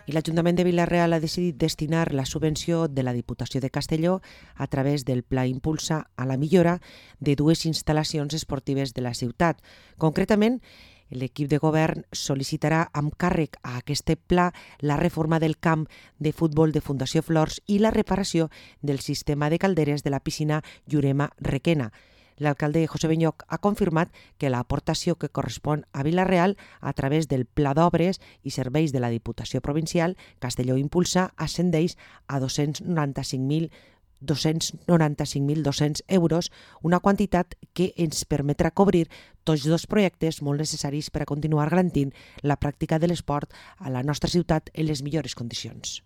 I l'Ajuntament de Vila-real ha decidit destinar la subvenció de la Diputació de Castelló a través del Pla Impulsa a la millora de 2 instal·lacions esportives de la ciutat. Concretament, l'equip de govern sol·licitarà amb càrrec a aquest pla la reforma del camp de futbol de Fundació Flors i la reparació del sistema de calderes de la piscina Llurema Requena. L'alcalde José Benyoch ha confirmat que l'aportació que correspon a Vila-real a través del Pla d'Obres i Serveis de la Diputació Provincial Castelló Impulsa ascendeix a 295.200 euros, una quantitat que ens permetrà cobrir tots 2 projectes molt necessaris per a continuar garantint la pràctica de l'esport a la nostra ciutat en les millors condicions.